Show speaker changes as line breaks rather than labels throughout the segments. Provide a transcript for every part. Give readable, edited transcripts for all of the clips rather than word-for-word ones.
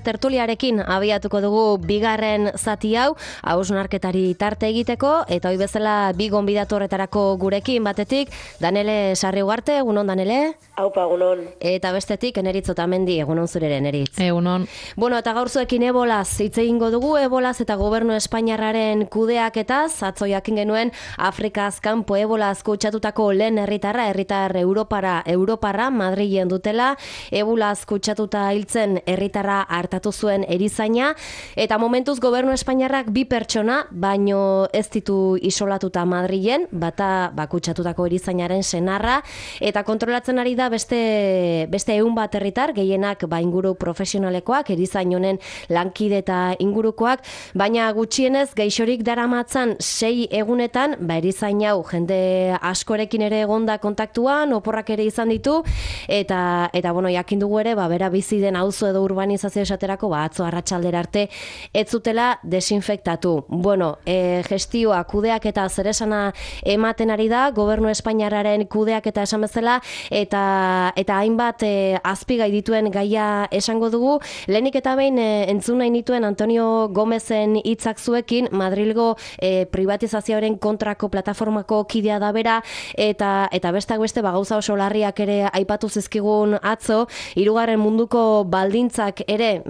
Tertuliarekin abiatuko dugu bigarren zati hau, hausnarketari tarte egiteko, eta hoi bezala bi gonbidatu horretarako gurekin batetik, Danele Sarriugarte, egunon Danele?
Aupa, egunon.
Eta bestetik, Eneritz Otamendi, egunon zurere, Eneritz.
Egunon.
Bueno, eta gaur zuekin ebolaz, hitz egingo dugu, ebolaz eta gobernu espainiarraren kudeaketaz, atzo jakin genuen Afrikaz kanpo ebolaz kutsatutako lehen herritar Europarra, Madrilen dutela, ebolaz kutsatuta hiltzen herritarra hartatu zuen erizaina, eta momentuz gobernu espainiarrak bi pertsona, baino ez ditu isolatuta Madrilen, bata kutsatutako erizainaren senarra, eta kontrolatzen ari da beste 100 bat herritar, gehienak inguru profesionalekoak, erizain honen lankide eta ingurukoak, baina gutxienez gaixorik daramatzan 6 egunetan, erizain hau jende askorekin ere egonda kontaktuan, oporrak ere izan ditu, eta bueno, jakin dugu ere, bera bizi den auzo edo urbanizazio esaterako, atzo arratsaldera arte, ez zutela desinfektatu. Bueno, gestioa, kudeak eta zeresana ematen ari da, gobernu espainiarraren kudeak eta esan bezala, eta hainbat azpigai dituen gaia esango dugu. Lehenik eta behin entzun nahi nituen Antonio Gomezen hitzak zuekin, Madrilgo privatizazioaren kontrako plataformako kidea da bera, eta besteak beste gauza oso larriak ere aipatu zizkigun atzo, 3. munduko baldintzak ere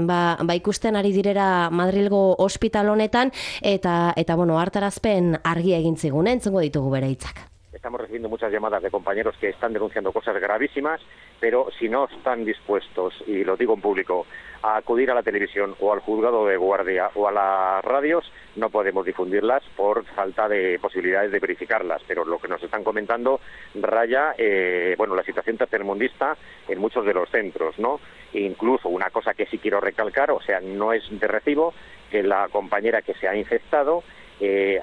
ikusten ari direra Madrilgo ospital honetan, eta bueno, hartarazpen argia egin zigun, entzungo ditugu bere hitzak.
Estamos recibiendo muchas llamadas de compañeros que están denunciando cosas gravísimas, pero si no están dispuestos, y lo digo en público, a acudir a la televisión o al juzgado de guardia o a las radios, no podemos difundirlas por falta de posibilidades de verificarlas. Pero lo que nos están comentando raya la situación tercermundista en muchos de los centros, ¿no? E incluso una cosa que sí quiero recalcar, o sea, no es de recibo que la compañera que se ha infectado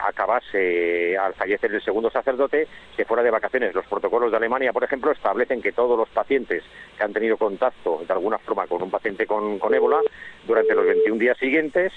acabase al fallecer el segundo sacerdote, que fuera de vacaciones. Los protocolos de Alemania, por ejemplo, establecen que todos los pacientes que han tenido contacto de alguna forma con un paciente con ébola, durante los 21 días siguientes,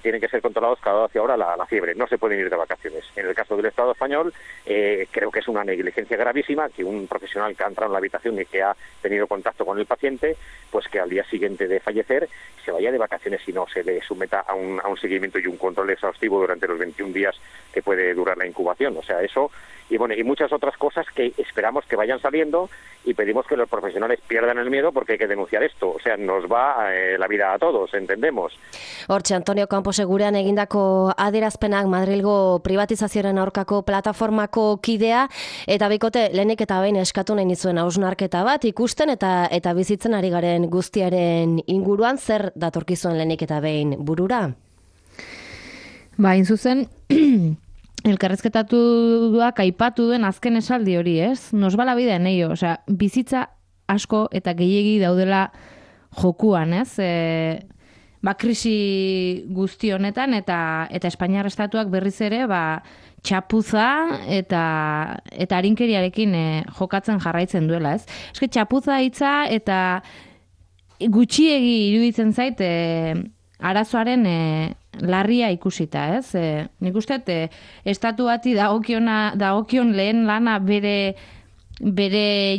tienen que ser controlados cada 12 horas la fiebre, no se pueden ir de vacaciones. En el caso del Estado español, creo que es una negligencia gravísima que un profesional que ha entrado en la habitación y que ha tenido contacto con el paciente, pues que al día siguiente de fallecer se vaya de vacaciones y no se le someta a un seguimiento y un control exhaustivo durante los 21 días que puede durar la incubación. O sea, eso y muchas otras cosas que esperamos que vayan saliendo, y pedimos que los profesionales pierdan el miedo, porque hay que denunciar esto. O sea, nos va la vida a todos, entendemos.
Hortxe, Antonio Campos segurean egindako adierazpenak Madrilgo privatizazioaren aurkako plataformako kidea, eta bikote lehenik eta behin eskatu nahi nizuen hausnarketa bat ikusten eta bizitzen ari garen guztiaren inguruan, zer datorkizuen lehenik eta behin burura?
Hain zuzen, elkarrezketatuak aipatu duen azken esaldi hori, ez? Nos va la vida en ello, osea, bizitza asko eta gehiegi daudela jokuan, ez? Krisi guzti honetan eta Espainiar estatuak berriz ere txapuza eta arinkeriarekin jokatzen jarraitzen duela, ez? Eske txapuza hitza eta gutxiegi iruditzen zait arazoaren larria ikusita, ez? Nik uste estatu bati dagokion lehen lana bere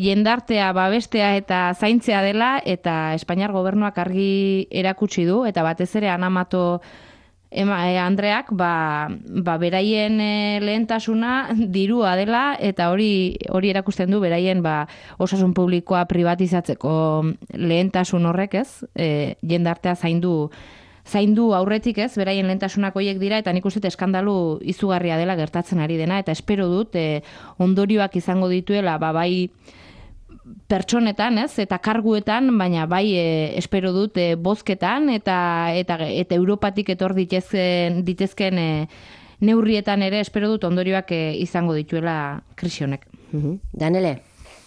jendartea babestea eta zaintzea dela, eta Espainiar gobernuak argi erakutsi du, eta batez ere Ana Mato Andreak beraien lehentasuna dirua dela, eta hori erakusten du beraien osasun publikoa privatizatzeko lehentasun horrek, ez? Jendartea zaindu aurretik, ez, beraien lehentasunak horiek dira, eta nik uste eskandalu izugarria dela gertatzen ari dena, eta espero dut ondorioak izango dituela, bai pertsonetan, ez, eta karguetan, baina bai espero dut bozketan, eta Europatik etor ditezken neurrietan ere espero dut ondorioak izango dituela krisi honek.
Danele?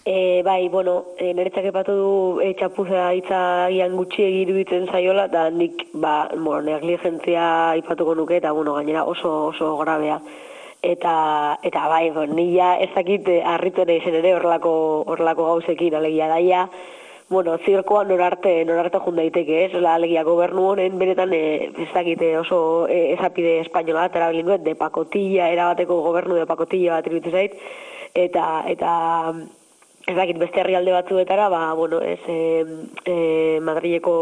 Niretzak epatu du txapuza hitza gian gutxiegi iruditzen zaiola, eta nik negligentzia ipatuko nuke, eta gainera oso grabea. Eta nila ez dakit harritu ere izen ere horrelako gauzekin, alegia daia, zirkoa norarte jun daiteke, ez? Alegia gobernu honen benetan ez dakit oso ezapide espainola, eta bilingüet, de pacotilla, erabateko gobernu de pacotilla bat iruditzen zait, eta ez dakit beste herrialde batzuetara, bueno, Madrileko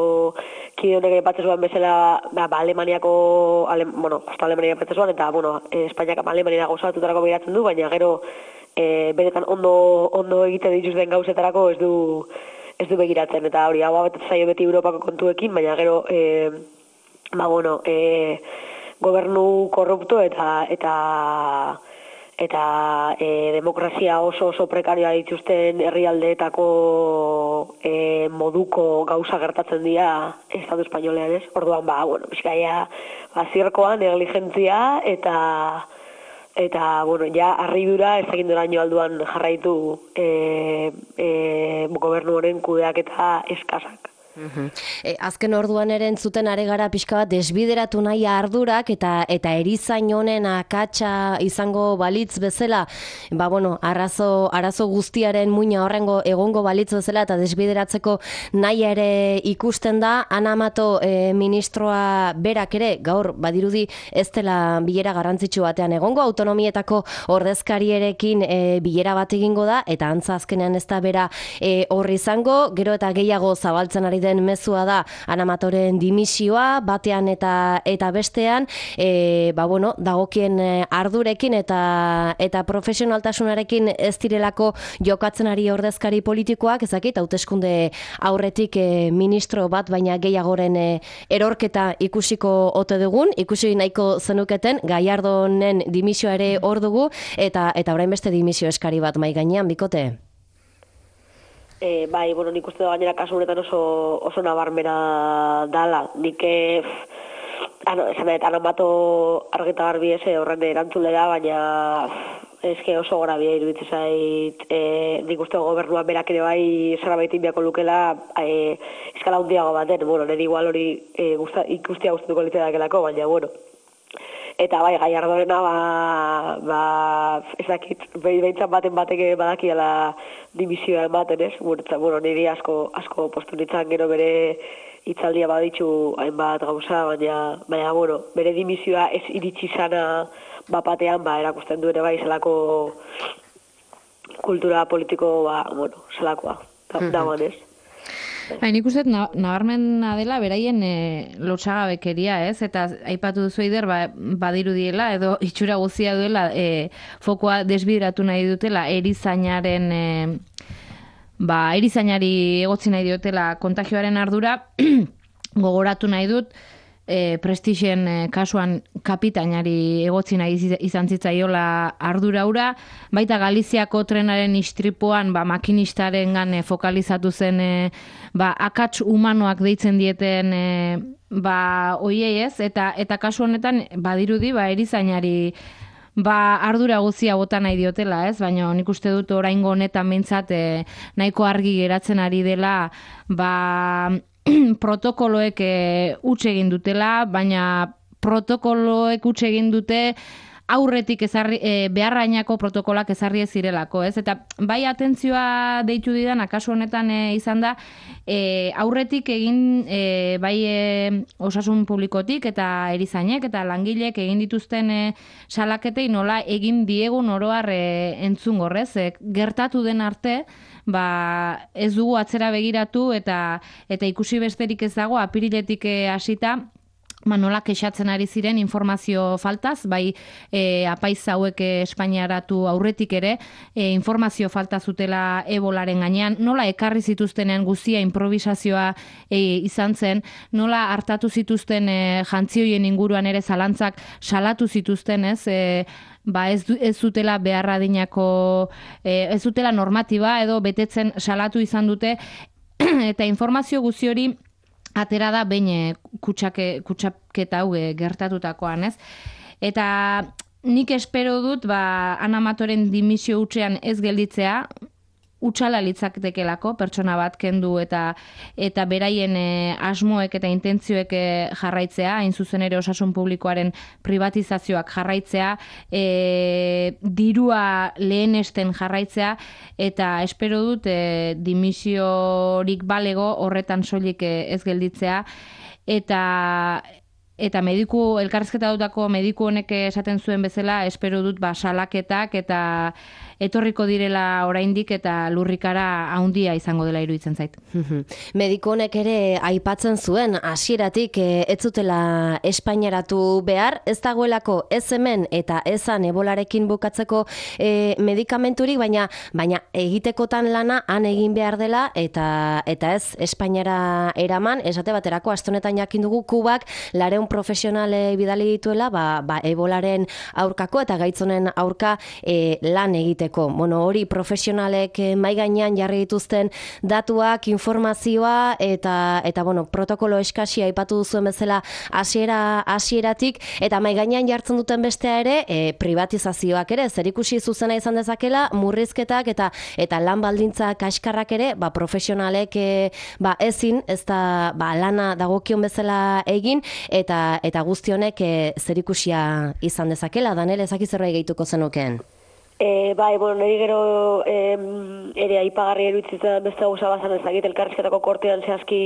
kide honek aipatzen bezala, Alemaniako, Alemania aipatzen zuen, eta, Espainiak Alemaniara gauzatutarako behiratzen du, baina gero, benetan ondo egiten dituzten gauzetarako ez du begiratzen, eta hori, hau abetetzen zaio beti Europako kontuekin, baina gero, gobernu korrupto eta demokrazia oso prekarioa dituzten herrialdeetako moduko gauza gertatzen dira Estatu Espainolean, ez? Orduan, pixkaia, zirkoa, negligentzia eta ja, harridura ez dakit noraino alduan jarraitu gobernu honen kudeak eta eskasak.
Azken orduan ere entzuten are gara pixka bat desbideratu nahi ardurak eta erizain honen akatsa izango balitz bezala, arazo guztiaren muina horrengo egongo balitz bezala eta desbideratzeko nahi ere ikusten da. Ana Mato ministroa berak ere gaur badirudi ez dela bilera garrantzitsu batean egongo, autonomietako ordezkarierekin bilera bat egingo da, eta antza azkenean ez da bera horri izango, gero eta gehiago zabaltzen ari den mezua da Ana Matoren dimisioa batean eta bestean, dagokien ardurekin eta profesionaltasunarekin ez direlako jokatzen ari ordezkari politikoak, ezakit, hauteskunde aurretik ministro bat baina gehiagoren erorketa ikusiko ote dugun, ikusi nahiko zenuketen, Gallardonen dimisioa ere hor dugu, eta orain beste dimisio eskari bat mai gainean, bikote?
Nik uste da gainera kasu honetan oso nabarmena dala. Nik Ana Mato argita garbi horren erantzule da, baina oso grabia iruditzen zait. Nik uste gobernuan berak ere bai zerbait inbiako lukela eskala hundiago baten. Nire igual hori ikustia guztuko litzakelako, baina Eta Gallardorena ez dakit, behintzat batek badakiela dimisioa ematen, ez? Niri asko postu nintzen gero bere hitzaldia baditzu hainbat gauza, baina bere dimisioa ez iritsi zana bapatean, erakusten du ere bai zelako kultura politiko, zelakoa, dagoen, ez?
Nik uste nabarmena dela beraien lotsagabekeria, ez? Eta aipatu duzu Eider, badirudiela edo itxura guztia duela fokoa desbideratu nahi dutela erizainari egotzi nahi diotela kontagioaren ardura. Gogoratu nahi dut Prestigien kasuan kapitainari egotzi nahi izan zitzaiola ardura hura, baita Galiziako trenaren istripuan makinistaren fokalizatu zen akats humanoak deitzen dieten oiei, ez, eta kasu honetan badirudi erizainari ardura guzia bota nahi diotela, ez, baina nik uste dut oraingo honetan behintzat nahiko argi geratzen ari dela protokoloek huts egin dutela, baina protokoloek huts egin dute aurretik beharrainako protokoloak ezarri ez zirelako, ez? Eta bai atentzioa deitu didan, akaso honetan izan da, aurretik egin osasun publikotik eta erizainek eta langilek egin dituzten salaketei nola egin diegun oroar entzun gorrez, gertatu den arte, ez dugu atzera begiratu eta ikusi besterik ez dago apiriletik hasita, nola kexatzen ari ziren informazio faltaz, apaiz hauek Espainiaratu aurretik ere, informazio falta zutela ebolaren gainean, nola ekarri zituztenean guzia improvisazioa izan zen, nola hartatu zituzten jantzioien inguruan ere zalantzak salatu zituzten, ez zutela beharradinako, ez zutela normatiba edo betetzen salatu izan dute, eta informazio guzti hori atera da behin kutsaketa hau gertatutakoan, ez? Eta nik espero dut, Ana Matoren dimisio hutsean ez gelditzea, hutsala litzaketelako pertsona bat kendu eta beraien asmoek eta intentzioek jarraitzea, hain zuzen ere osasun publikoaren privatizazioak jarraitzea, dirua lehenesten jarraitzea, eta espero dut dimisiorik balego horretan soilik ez gelditzea, eta Eta elkarrizketa dutako mediku honek esaten zuen bezala, espero dut salaketak eta etorriko direla oraindik eta lurrikara handia izango dela iruditzen zait.
Mediku honek ere aipatzen zuen hasieratik ez zutela espaineratu behar, ez dagoelako ez hemen eta ezan ebolarekin bukatzeko medikamenturik, baina egitekotan lana han egin behar dela eta ez Espainiara eraman, esate baterako astonetan jakin dugu Kubak 400 profesionale bidali dituela ebolaren aurkako eta gaitzonen aurka lan egiteko. Bueno, hori profesionalek mai gainean jarri dituzten datuak, informazioa eta bueno, protokolo eskasia aipatu duzuen bezala hasieratik eta mai gainean jartzen duten bestea ere privatizazioak ere zerikusi zuzena izan dezakela, murrizketak eta lan baldintza kaskarrak ere profesionalek ezin ez da lana dagokion bezala egin eta guzti honek zerikusia izan dezakela. Danel, ezaki zerbait gehituko zenukeen?
Bueno, niri gero ere aipagarri eruditzen beste gauza bazan ezagit elkarrizketako kortean zehazki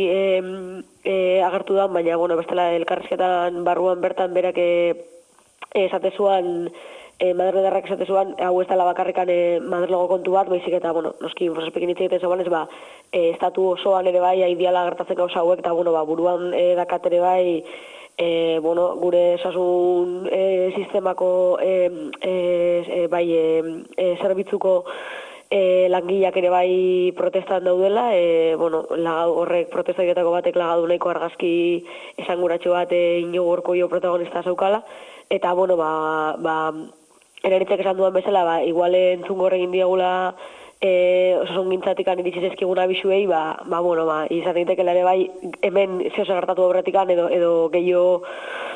agertu da, baina bueno, bestela elkarrizketan barruan bertan berak esatezuan Madriledarrak esatezuan, hau ez dela bakarrikan Madrilego kontu bat, baizik eta, bueno, noski infraspekin hitz egiten zegoen ez, estatu osoan ere bai, aidiala gertatzen gauza hauek, eta, bueno, buruan dakat ere bai, gure osasun sistemako zerbitzuko langileak ere bai protestan daudela, horrek protestagietako batek lagadu nahiko argazki esanguratxo bat Iñigo Urkullu protagonista zaukala, eta, Eraritzek esan duan bezala, igual entzungo horregin diagula osasun gintzatik iritsi zezkiguna bisuei, izan daitekela ere bai, hemen zehoze gertatu aurretikan edo gehiago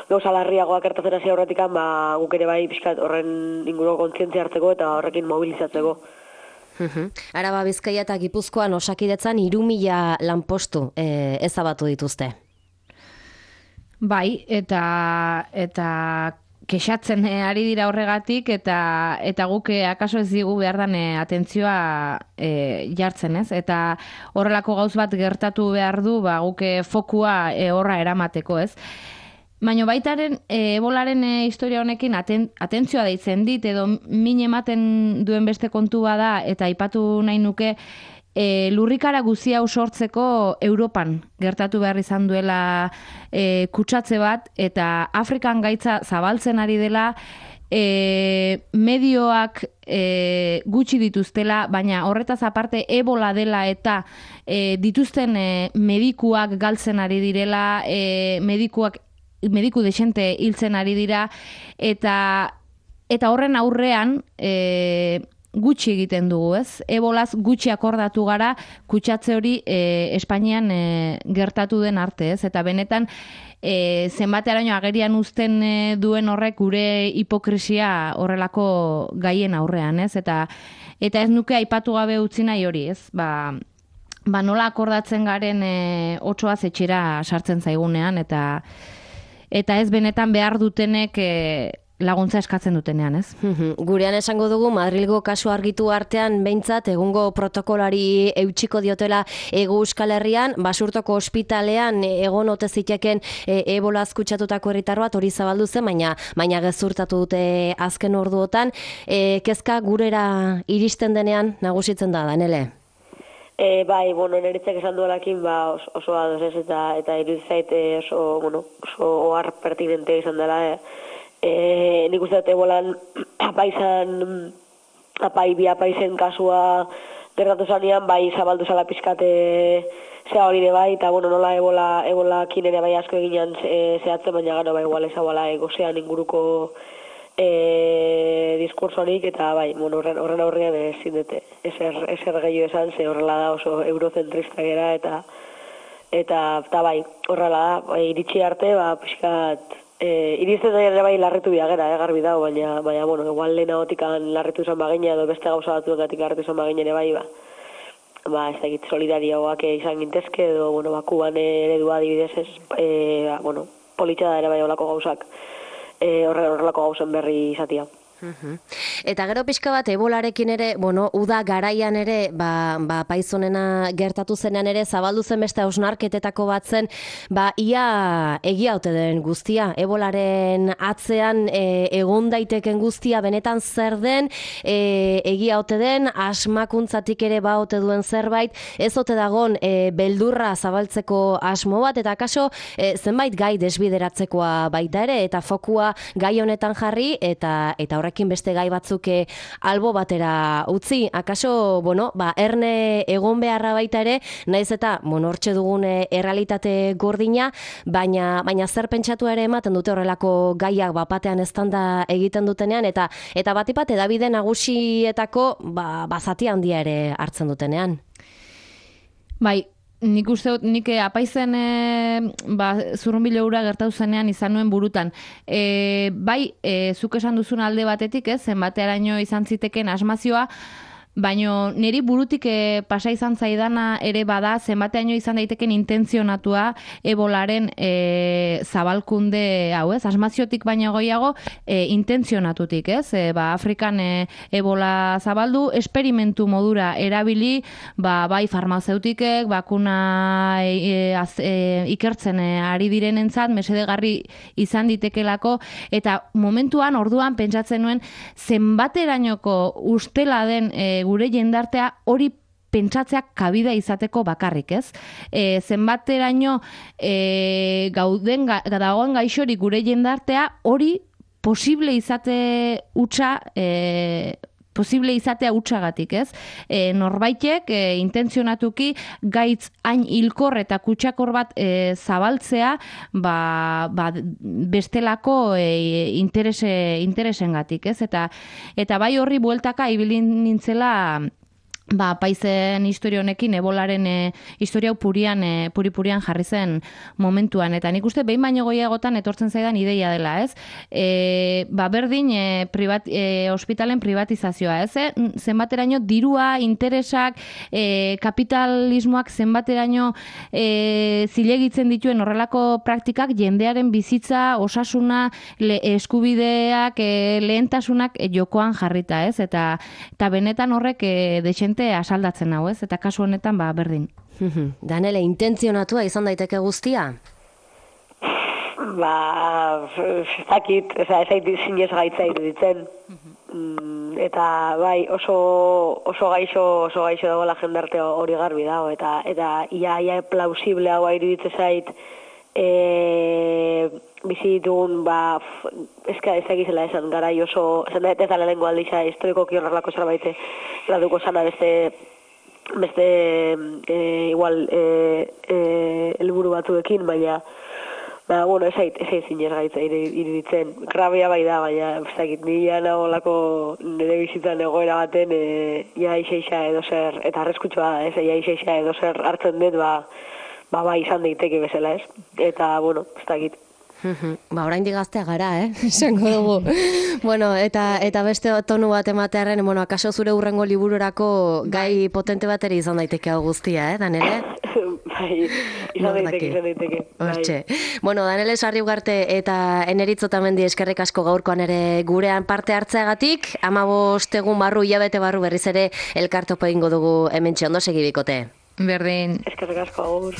gauza larriagoak gertatzen hasi aurretikan, guk ere bai pixkat horren inguruko kontzientzia hartzeko eta horrekin mobilizatzeko.
Araba, Bizkaia eta Gipuzkoan Osakidetzan 3.000 lanpostu ezabatu dituzte.
Bai, eta kexatzen ari dira horregatik eta guk akaso ez digu behar dan atentzioa jartzen, ez? Eta horrelako gauz bat gertatu behar du, guk fokua horra eramateko, ez? Baina baitaren ebolaren historia honekin atentzioa deitzen dit, edo min ematen duen beste kontua da, eta aipatu nahi nuke, lurrikara guzi hau sortzeko Europan gertatu behar izan duela kutsatze bat, eta Afrikan gaitza zabaltzen ari dela, medioak gutxi dituztela, baina horretaz aparte ebola dela eta dituzten medikuak galtzen ari direla, mediku desente hiltzen ari dira, eta horren aurrean gutxi egiten dugu, ez? Ebolaz gutxi akordatu gara kutsatze hori Espainian gertatu den arte, ez? Eta benetan zenbateraino agerian uzten duen horrek gure hipokrisia horrelako gaien aurrean, ez? Eta ez nuke aipatu gabe utzi nahi hori, ez? Nola akordatzen garen otsoaz etxera sartzen zaigunean, eta ez benetan behar dutenek laguntza eskatzen dutenean, ez?
Gurean esango dugu Madrilgo kasu argitu artean behintzat egungo protokolari eutxiko diotela Hego Euskal Herrian, Basurtoko ospitalean egon ote ziteken ebolaz kutsatutako herritar bat hori zabaldu zen, baina gezurtatu dute azken orduotan. Kezka gurera iristen denean nagusitzen da, Danele?
Neritzek esan duelakin oso ados ez, eta irudizait oso ohar pertinente izan dela, nik uste dut ebolan apaizen kasua gertatu zanean, zabaldu zala pizkate zea hori bai, eta nola ebola kinere bai asko eginan zehatzen, baina gano igual ezabala gozean inguruko diskursorik, eta horren aurrean ezin dute ezer gehiago esan, ze horrela da oso eurozentrista gera, eta horrela da, iritsi arte, pizkat iristen da ere bai larritu biagera, garbi dago, baina igual lehenagotikan larritu izan bagina, edo beste gauza batzuetatik larritu izan bagina ere bai, ez da egit solidarioak izan gintezke, edo, Kuban eredua adibidez ez, politxa da ere bai horrelako gauzak, horrelako gauzen berri izatia.
Eta gero pixka bat ebolarekin ere, bueno, uda garaian ere, paizonena gertatu zenean ere, zabaldu zen beste hausnarketetako bat zen, ia egia ote den guztia, ebolaren atzean egon daiteken guztia benetan zer den, egia ote den, asmakuntzatik ere ote duen zerbait, ez ote dagon beldurra zabaltzeko asmo bat, eta akaso zenbait gai desbideratzekoa baita ere, eta fokua gai honetan jarri, eta horrekin beste gai batzuk albo batera utzi. Akaso, erne egon beharra baita ere, naiz eta, hortxe dugun errealitate gordina, baina zer pentsatu ere ematen dute horrelako gaiak bapatean eztanda egiten dutenean, eta batipat edabide nagusietako zati handia ere hartzen dutenean.
Bai, nik uste dut, nik apaizen zurrunbilo hura gertatu zenean izan nuen burutan. Zuk esan duzun alde batetik, zenbatearaino izan ziteken asmazioa, baina niri burutik pasa izan zaidana ere bada, zenbateaino izan daiteken intentzionatua ebolaren zabalkunde hau, asmaziotik baina goiago intentzionatutik, Afrikan ebola zabaldu, esperimentu modura erabili, bai farmazeutikek, bakuna ikertzen ari direnentzat, mesedegarri izan ditekelako, eta momentuan, orduan, pentsatzen nuen, zenbaterainoko ustela den gure jendartea hori pentsatzeak kabida izateko bakarrik, zenbateraino dagoen gaixorik gure jendartea hori posible izatea hutsagatik, norbaitek intentzionatuki gaitz hain hilkor eta kutsakor bat zabaltzea bestelako interesengatik, eta bai horri bueltaka ibili nintzela paizen historia honekin, ebolaren historia puri-purian jarri zen momentuan. Eta nik uste behin baino goiagotan etortzen zaidan ideia dela, berdin ospitalen privatizazioa, zenbateraino dirua, interesak, kapitalismoak zenbateraino zilegitzen dituen horrelako praktikak jendearen bizitza, osasuna, eskubideak, lehentasunak jokoan jarrita, eta benetan horrek dexente asaldatzen hau, eta kasu honetan berdin.
Danele, intentzionatua izan daiteke guztia?
Ez dakit, ez aiti zinez gaitza iruditzen. Eta bai, oso gaixo dagoela jendarte hori garbi dago, eta ia plausible hau iruditzen zait, bizi ditugun, ez dakizela esan garai oso, esan ez da lehenengo aldiza historiko kiorralako zerbait laduko zana beste igual helburu batzuekin, baina ez ait zinez gaitza iruditzen. Grabea bai da, baina ez dakit, nire nagolako nire bizitzan egoera baten ia iseixa edo zer, eta arreskutsua da, ia iseixa edo zer hartzen dut, izan daiteke bezala, eta, ez dakit.
Orain digaztea gara, esango dugu. Eta beste tonu bat ematearen, akaso zure hurrengo libururako gai potente bateri izan daiteke hau guztia, Danele?
Bai, izan daiteke.
Hortxe. Danele Sarriugarte eta Eneritz Otamendi eskerrik asko gaurkoan ere gurean parte hartzeagatik, 15 egun barru, hilabete barru berriz ere elkartopo egingo dugu hementxe, ondo segi bikote.
Berdin.
Eskerrik asko, agur.